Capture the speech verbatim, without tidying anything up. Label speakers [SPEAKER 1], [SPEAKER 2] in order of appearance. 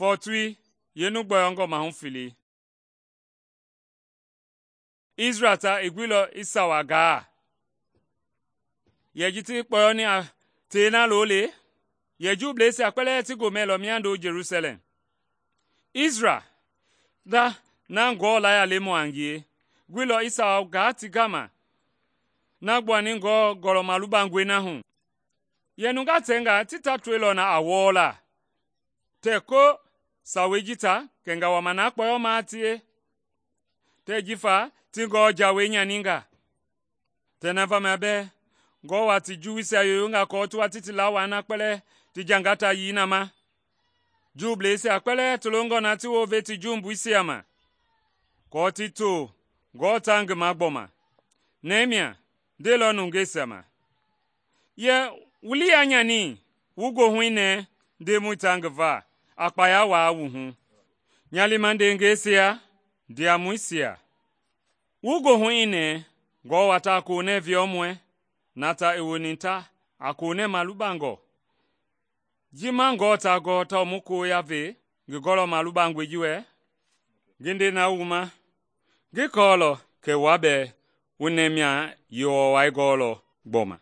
[SPEAKER 1] Fɔɔtui yeenu gbɔyɔngɔ mahu fele. Israɛl ta i guilɔ i sawa gaa. Yɛ ji ti kpɔyɔni a tei na loole, yɛ Juubleisia kpɛlɛɛ ti gomɛ lɔ miando Jelusalɛm. Israɛl ta na Ngewɔ laya lemɔ a ngie guilɔ i sawa gaa ti gama na gbuani Ngewɔ Gɔlɔ Malubangɔi na hu. Yɛ nungaa tɛnga ti ta toilɔ na a wɔɔla tɛɛ ko sawei ji ta kɛnga wama na kpɔyɔmaa tie, tɛɛ jifa ti Ngewɔ jawei nyaninga. Tɛɛ na vamia bɛɛ Ngewɔ wa ti Juuisia yoyonga aako ti wa ti ti lawai na kpɛlɛɛ ti jangata yii na ma. Juubleisia kpɛlɛɛ ti longɔ na ti wounve ti jumbuisia ma, aako ti to Ngewɔ ta ngi ma gbɔma. Nehemia ndeilɔ nungeisia ma, “Yɛ wu lii yaa nyani wu goohui nɛɛ Ndemɔi ta ngi va a kpaya waa wu hu. Nya liima ndeengɛisia, ndiamɔisia, wu goohui i nɛɛ Ngewɔ wa ta a konɛ viɔmɔi na ta i woni ta a konɛ malubangɔ. Ji ma Ngewɔ ta gɔɔ tawao mu koya ve ngi Gɔlɔ Malubangɔi ji wɛ? Ngi nde na wu ma, ngi kɔɔlɔ kɛ wua bɛɛ wu Nehemia yewɔwɔi gɔɔlɔ gbɔma.